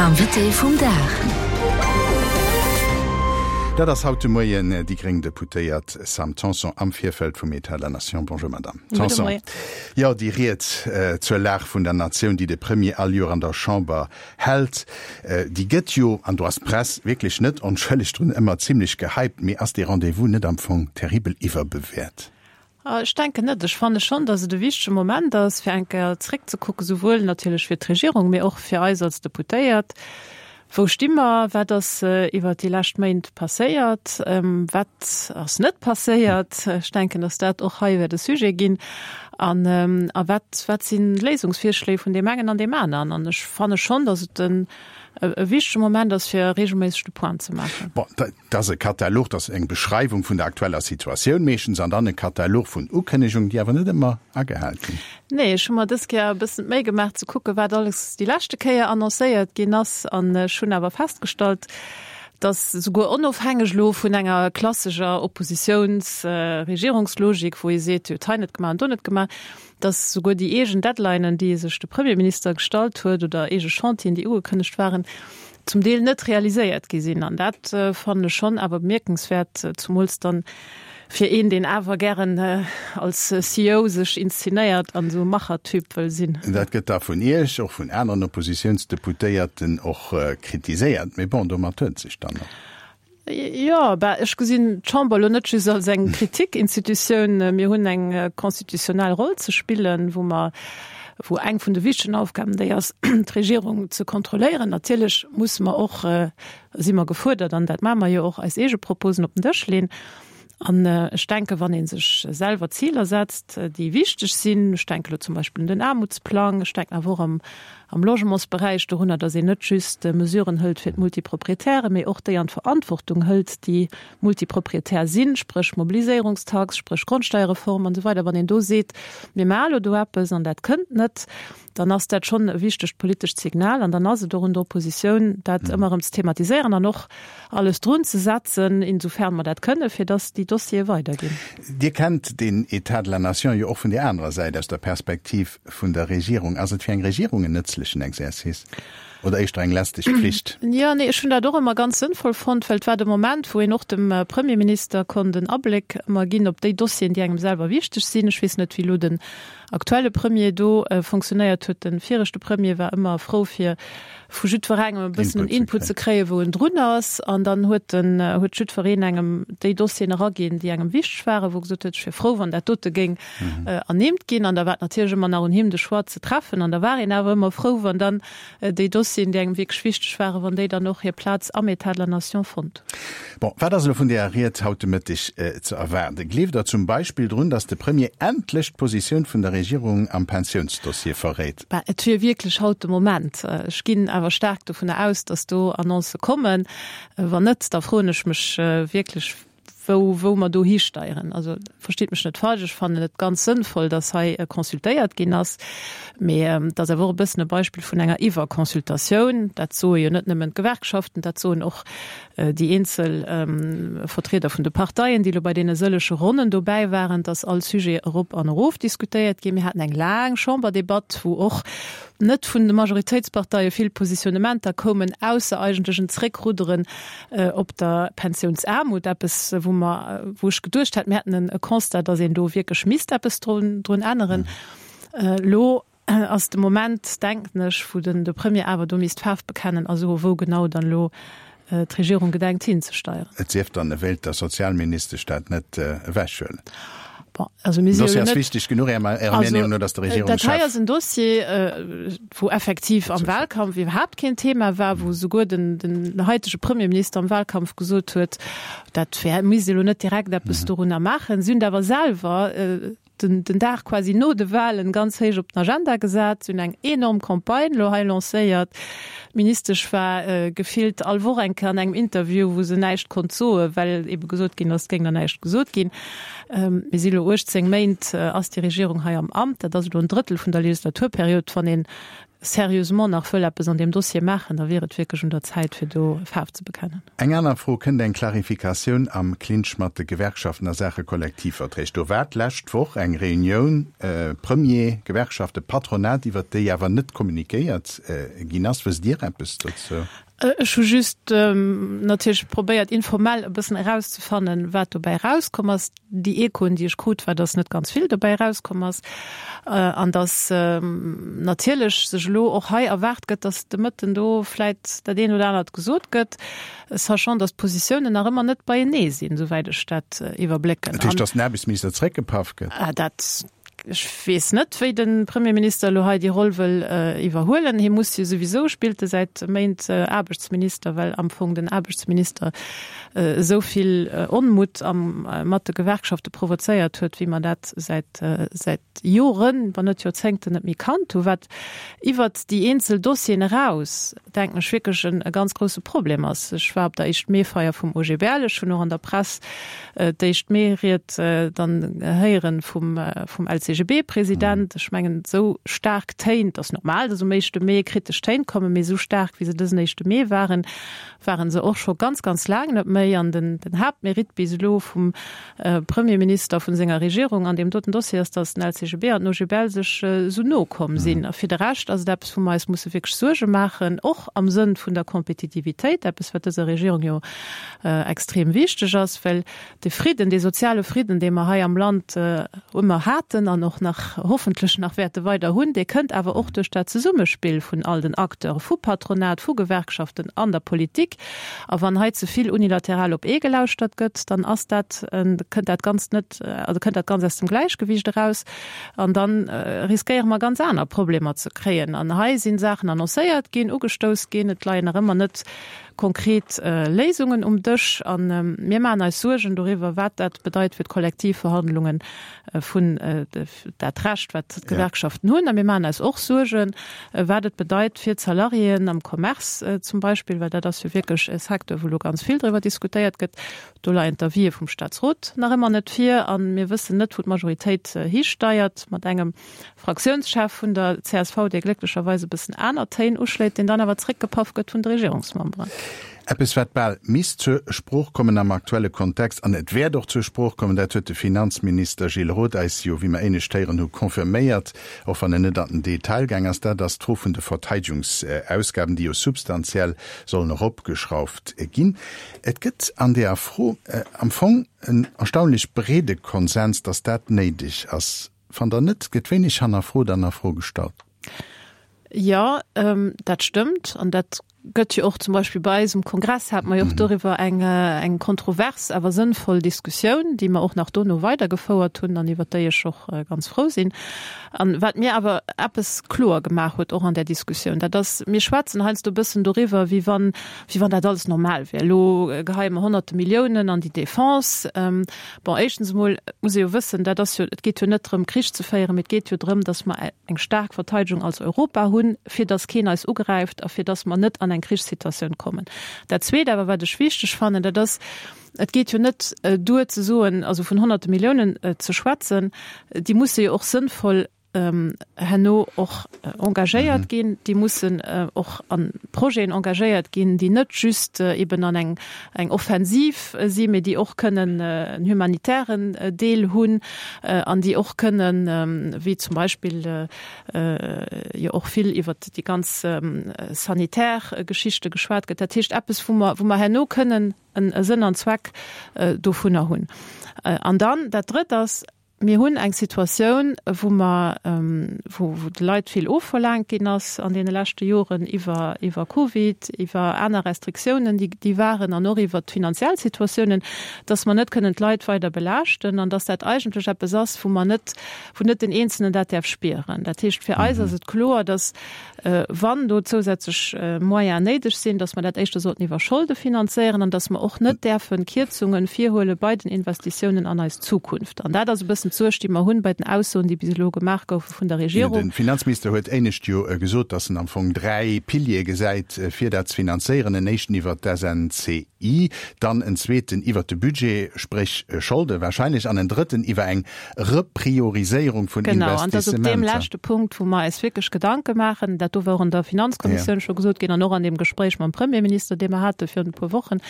Invité vum Dag. Dat ass haut de Moien déi gréng Deputéiert Sam Tanson am Virfeld vum État de la Nation. Bonjour Madame Tanson. Jo, déi Ried zur Lag vun der Natioun, déi de Premier all Joer an der Chamber hält, déi gëtt jo, an do ass d'Press wierklech net onschëlleg drun, ëmmer zimlech gehypt. Mee ass dee Rendez-vous net am Fong terribel iwwerbewäert? Ech denken net. Ech fanne schonn, datt et e wichtege Moment ass, fir eng Kéier zréckzekucken, souwuel natierlech fir d'Regierung, mee och fir eis als Deputéiert. Wou sti mer? Wat ass iwwert déi lescht Méint passéiert? Wat ass net passéiert? Ech denken, datt dat och hei wäert e Sujet ginn. An a wat, wat sinn d'Léisungsvirschléi vun deem engen an deem aneren? An ech fanne schonn, datt et e wichtege Moment ass, fir regelméisseg de Point ze maachen. Bon, Et ass e Katalog, dat ass eng Beschreiwung vun der aktueller Situatioun meeschtens an dann e Katalog vun Ukënnegungen, déi awer net ëmmer agehal ginn. Nee, ech hu mer dës Kéier e bëssen d'Méi gemaach ze kucken, wat alles déi leschte Kéier annoncéiert ginn ass. An ech hunn awer festgestallt, dass souguer onofhängeg elo vun enger klasseger Oppositiouns-Regierungslogik, wou ee seet, Dir hutt hei net gemaach an do net gemaach, dass souguer déi eegen Deadlinen, déi sech de Premierminister gestallt huet, oder eege Chantieren, déi ugekënnegt waren, zum Deel net realiséiert gi sinn. An dat fannen ech schonn awer bemierkenswäert, zumools dann fir een, deen awer gären als CEO sech inszenéiert an esou e Machertyp wëll sinn. Dat gëtt da vun Iech, och vun aneren Oppositiounsdeputéierten och kritiséiert. Mee bon, domat huet et sech dann och. Jo, bah, ech gesinn d'Chamber elo net just als eng Kritikinstitutioun. Mir hunn eng constitutionnel Roll ze spillen, wou mer, wou eng vun de wichtegen Aufgaben déi ass, d'Regierung ze kontrolléieren. Natierlech musse mer och, si mer gefuerdert, an dat maache mer jo och, eis eege Proposen op den Dësch leeën. An ech denken, wann ee sech selwer Ziler setzt, déi wichteg sinn, ech denken elo zum Beispill un den Aarmutsplang, ech denken awer och am, am Logementsberäich dorunner, datt een net just Mesuren hëlt fir d'Multiproprietären, mee och déi an d'Verantwortung hëlt, déi Multiproprietär sinn, spréch Mobiliséierungstax, spréch Grondsteierreform an esou weider, wann een do seet, mir maache elo do eppes an dat kënnt net, dann ass dat schonn e wichtegt politescht Signal an dann ass et och un der Oppositioun, dat ëmmer erëm ze thematiséieren an och alles drun ze setzen, insofern mer dat kënnen, fir dass déi Dossiere weiderginn. Dir kennt deen État de la nation jo och vun där anerer Säit, aus der Perspektiv vun der Regierung. Ass et fir eng Regierung en nëtzlechen Exercice oder éischter eng lästeg Pflicht? Jo, nee, ech hunn dat och ëmmer ganz sënnvoll fonnt, well et war de Moment, wou een och dem Premierminister konnt en Abléck ëmmer ginn op déi Dossieren, déi engem selwer wichteg sinn. Ech weess net, wéi elo den aktuelle Premier do fonctionnéiert huet. De viregte Premier war ëmmer frou fir vu jiddwerengem e bëssen en Input ze kréien, wou en drun ass. An dann huet den, huet jiddwereen engem déi Dossieren eraginn, déi engem wichteg waren, wou e gesot huet, ech wier frou, wann dat dote géing ernimmt ginn. An da war et natierlech ëmmer nach un him, de Choix ze treffen. An da war een awer ëmmer frou, wann dann déi Dossieren, déi engem wierklech wichteg waren, wann déi dann och hir Plaz am État de la Nation fonnt. Bon, wat ass elo vun deeër Ried haut de Mëtteg ze erwaarden? Gleeft Der zum Beispill drun, datt de Premier endlech d'Positioun vun der Regierung am Pensiounsdossier verréit? Bah, et wier wierklech haut de Moment. Ech ginn awer staark dovunner aus, datt do Annoncë kommen. Wann net, da froen ech mech wierklech, wou, wou mer do histeieren. Also verstitt mech net falsch, ech fannen et ganz sënnvoll, dass hei consultéiert ginn ass, mee et ass awer och e bëssen e Beispill vun enger Iwwerconsultatioun. Dat soe jo net nëmmen d'Gewerkschaften, dat soen och déi eenzel Vertrieder vun de Parteien, déi elo bei deene sëllege Ronnen dobäi waren, dass all Sujet erop an erof diskutéiert ginn. Mir haten eng laang Chamberdebatt, wou och net vun de Majoritéitsparteie vill Positionnementer koumen, ausser eigentlech en Zréckrudderen op der Pensiounsaarmut, eppes wou mer, wou ech geduecht hat, mir hätten e Constat, datt een do wierklech misst eppes drun, drun änneren. Elo ass de Moment, denken ech, wou den de Premier awer do misst Faarf bekennen a soe wou genau dann elo d'Regierung gedenkt hinzesteieren. Et sief dann, e wéilt der Sozialministesch dat net ewechhuelen. Bon, also mir si jo elo net. Den Dossier ass wichteg genuch, Ärer Meenung no, datt de Regierungschef. Dat hei ass en Dossier, wou effektiv am Wahlkampf iwwerhaapt keen Thema war, wou souguer den, den haitege Premierminister am Wahlkampf gesot huet, dat wär, misst ee lo net direkt eppes dorunner maachen. Si hunn et awer selwer den, den Dag quasi no de Wahlen ganz héich op den Agenda gesat. Si hunn eng enorm Campagne lo hei lancéiert. D'Ministesch war gefillt all Woch eng Kéier an engem Interview, wou se näischt konnt soen, well ebe gesot ginn ass, et géing der näischt gesot ginn. Mir si lo 18 Méint ass déi Regierung hei am Amt. Dat ass elo en Drëttel vun der Legislaturperiod. Wann een. sérieusement nach wëll eppes an deem Dossier maachen, da wier et wierklech un der Zäit, fir do Faarf ze bekennen. Eng aner Fro, Kënnt eng Klarifikatioun am Clinch mat de Gewerkschaften a Saache Kollektivverträg? Do war d'lescht Woch eng Reunioun, Premier, Gewerkschaften, Patronat, iwwert déi awer net kommunikéiert ginn ass. Wësst Dir eppes dozou? Ech hu just natierlech probéiert, informell e bëssen erauszefannen, wat dobäi erauskomm ass. Déi Echoen, déi ech krut, war, dass net ganz vill dobäi erauskomm ass an dass natierlech sech elo och hei erwaart gëtt, dass de Mëtten do vläit dat eent oder anert gesot gëtt, sachant dass d'Positiounen nach ëmmer net beienee sinn, souwäit ech dat iwwerblécken. Dat heescht, dass den Aarbechtsminister zeréckgepaff gëtt? Dat Ech weess net, wéi de Premierminister elo hei déi Roll wëll iwwerhuelen. Hie muss jo souwisou, spillt e säit Méint Aarbechtsminister, well am Fong den Aarbechtsminister esou vill Onmutt mat de Gewerkschafte provozéiert huet, wéi mer dat säit säit Joren, wann net Joerzéngten net méi kannt hu, wat iwwert déi eenzel Dossieren eraus, denken ech, wierklech e ganz grousse Problem ass. Ech war op der Éischt-Mee-Feier vum OGBL, ech hunn och an der Press D'éischt Mee-Ried dann héieren vum vum LCGB-President. Ech mengen, esou staark Téin, et ass normal, datt um éischte Mee kritesch Téin kommen, mee esou staark, wéi se dësen éischte Mee waren, waren se och scho ganz, ganz laang net méi. An den den Haaptmérite bis elo vum Premierminister, vun senger Regierung an deem doten Dossier ass, datt den LCGB an den OGBL sech esou no komm sinn. A fir de Rescht ass et eppes, wou mer eis musse wierklech Suerge maachen, och am Sënn vun der Kompetitivitéit, eppes, wat dëser Regierung jo extrem wichteg ass, well de Fridden, dee soziale Fridden, dee mer hei am Land ëmmer haten an och nach hoffentlech nach wäerte weider hunn, dee kënnt awer och duerch dat Zesummespill vun all den Acteure, vu Patronat, vu Gewerkschaften an der Politik. A wann hei ze vill unilateral op ee gelauschtert gëtt, dann ass dat, kënnt dat Ganzt net, also kënnt dat Ganzt aus dem Gläichgewicht eraus an da riskéiere mer ganz aner Problemer ze kréien. An hei si Saachen annoncéiert ginn, ugestouss ginn, et leien nach ëmmer net konkret Léisungen um Dësch a mir maachen eis Suergen doriwwer, wat dat bedeit fir d'Kollektivverhandlungen vun dat Recht, wat d'Gewerkschaften hunn. A mir maachen eis och Suergen, wat et bedeit fir d'Salariéen am Commerce zum Beispill, well dat ass jo wierklech e Secteur, wou elo ganz vill driwwer diskutéiert gëtt. Do leien d'Avisë vum Staatsrot nach ëmmer net vir a mir wëssen net, wou d'Majoritéit histeiert mat engem Fraktiounschef vun der csv, dee glécklecherweis e bëssen aner Téin uschléit, deen dann awer zréckgepaff gëtt vun de Regierungsmemberen. Eppes, wat bal misst zur Sprooch kommen am aktuelle Kontext, an et wäert och zur Sprooch kommen, dat huet de Finanzminister Gilles Roth eis jo, wéi mer éinescht héieren hu, confirméiert, och wann en net an den Detail gaang ass, dat ass d'Fro vun de Verteidegungsausgaben, déi jo substantiell sollen eropgeschrauft ginn. Et gëtt an deeër Fro am Fong en erstaunlech breede Konsens, datt dat néideg ass. Fannt Der net? Et gëtt wéineg hannerfrot an a Fro gestallt. Jo, dat stëmmt. An dat gëtt jo och zum Beispill bei eis um Kongress hate mer jo och doriwwer eng, eng kontrovers, awer sënnvoll Diskussioun, déi mer och nach dono weidergefouert hunn an iwwert déi ech och ganz frou sinn. An wat mir awer eppes kloer gemaach huet och an där Diskussioun, dat ass, mir schwätzen heiansdo e bëssen doriwwer, wéi wann, wéi wann dat alles normal wär. Elo geheie mer Honnerte Milliounen an déi Defense. Bon, éischtens emol muss ee jo wëssen, dat ass jo, et geet jo net drëm, Krich ze féieren, mee et geet jo drëm, datt mer eng staark Verteidegung als Europa hunn, fir datt keen eis ugräift a fir datt mer net an eng Krichssituatioun kommen. Dat Zweet awer, wat ech wichteg fannen, dat ass, et geet jo net duer ze soen, also vun Honnerte Milliounen ze schwätzen, déi musse jo och sënnvoll herno och engagéiert ginn, déi mussen och a Projeten engagéiert ginn, déi net just eben an eng eng Offensiv sinn, mee déi och kënnen en humanitären Deel hunn an déi och kënnen, wéi zum Beispill jo och vill iwwert déi ganz sanitär Geschichte geschwat gëtt, dat heescht eppes, wou mer wou mer herno kënnen e Sënn an Zweck dovunner hunn. An dann dat Drëtt ass, Mir hunn eng Situatioun, wou mer, wou de Leit vill ofverlaangt ginn ass an deene leschte Joren iwwer, iwwer Covid, iwwer aner Restriktiounen, déi, déi waren, an och iwwert d'finanziell Situatiounen, dass mer net kënnen d'Leit weider belaaschten an dass dat eigentlech eppes ass, wou mer net, wou net den Eenzelnen dat däerf spieren. Dat heescht, fir eis ass et kloer, dass, wann do zousätzlech Moyens néideg sinn, dass mer dat éischter sollten iwwer Scholde finanzéieren an dass mer och net däerfe Kierzunge virhuele bei den Investitiounen an eis Zukunft. An dat ass e bëssen. bëssen d'Suerg, déi mer hunn bei den Aussoen, déi bis elo gemaach goufe vun der Regierung. De Finanzminister huet éinescht jo gesot, datt en am Fong 3 Piliere gesäit, fir dat ze finanzéieren, en éischten iwwert d'SNCI, dann en zweeten iwwert de Budget, spréch Scholde wahrscheinlech, an en drëtten iwwer eng Reprioriséierung vun Genau, an dat ass op deem leschte Punkt, wou mer eis wierklech Gedanke maachen. Dat do war och an der Finanzkommissioun scho gesot ginn an och an deem Gespréich mam Premierminister, dee mer hate virun e puer Wochen.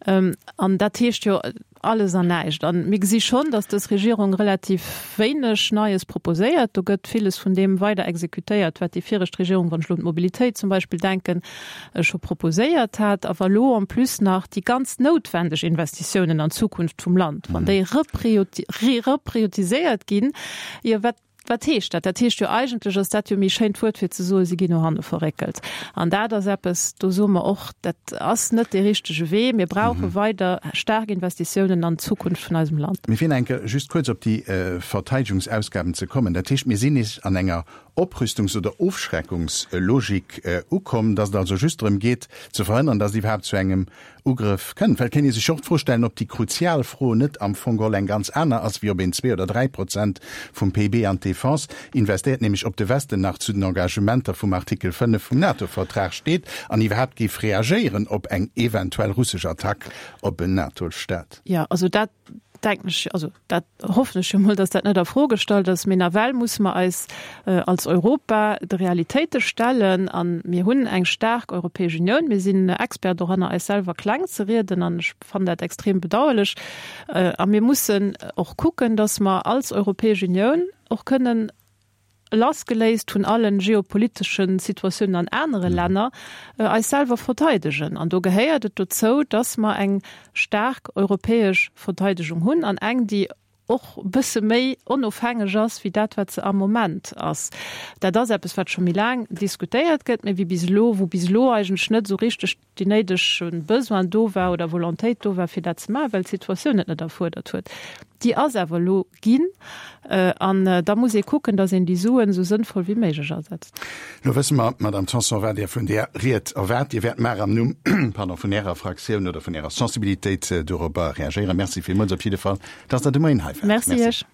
An dat heescht jo alles an näischt. A mir gesi schonn, datt dës Regierung relativ wéineg Neies proposéiert. Do gëtt villes vun deem weider exekutéiert, wat déi viregt Regierung, wann ech elo un d'Mobilitéit zum Beispill denken, scho proposéiert hat. A wa lo en plus nach déi ganz noutwendeg Investitiounen an d'Zukunft vum Land, wann déi reprioritiséiert ginn, jo wat, wat heescht dat? Dat heescht jo eigentlech, ass dat jo méi schéint Wuert fir ze soen, si ginn no hanne verréckelt. An dat ass eppes, do soe mer och, dat ass net dee richtege Wee. Mir brauche weider staark Investitiounen an d'Zukunft vun eisem Land. Mee fir nach eng Kéier just kuerz op déi Verteidegungsausgaben ze kommen, dat heescht, mir sinn nees an enger Oprüstungs oder Ofschreckungslogik ukomm, dass et also just drëm geet ze verhënnern, dass et iwwerhaapt zu engem Ugrëff kënnt. Well et kéint ee sech och d'Fro stellen, ob déi kruzial Fro net am Fong geholl eng ganz aner ass, wéi ob een 2 oder 3 Prozent vum PIB an d'Defense investéiert, nämlech ob de Westen nach zu den Engagementer vum Artikel 5 vum NATO-Vertrag steet an iwwerhaapt géif reagéieren op eng eventuell russesch Attack op en NATO-Staat. Jo, also dat denken ech, also dat hoffen ech jo mol, datt dat net a Fro gestallt ass. Mee nawell musse mer eis als Europa de Realitéite stellen a mir hunn eng staark Europäesch Unioun. Mir sinn Expert doranner, eis selwer kleng ze rieden an ech fannen dat extrem bedauerlech. A mir mussen och kucken, datt mer als Europäesch Unioun och kënnen lassgeléist vun allen geopoliteschen Situatiounen an anere Länner, eis selwer verteidegen. An do gehéiert et dozou, dass mer eng staark europäesch Verteidegung hunn an eng, déi och e bësse méi onofhängeg ass wéi dat, wat se am Moment ass. Dat ass eppes, wat scho méi laang diskutéiert gëtt, mä wéi bis elo, wou bis elo eigentlech net esou richteg deen néidege Besoin do war oder Volontéit do war, fir dat ze maachen, well d'Situatioun et net erfuerdert huet. Déi ass awer elo ginn. An da muss ee kucken, datt een déi Suen esou sënnvoll wéi méiglech asetzt. Elo wësse mer, Madamm Tanson, wat Dir vun där Ried erwaart. Dir wäert mar am Numm, pardon, vun Ärer Fraktioun oder vun Ärer Sensibilitéit dorobber reagéieren. Merci villmools op jidde Fall, dass Der de Moien hei waart. Merci Iech.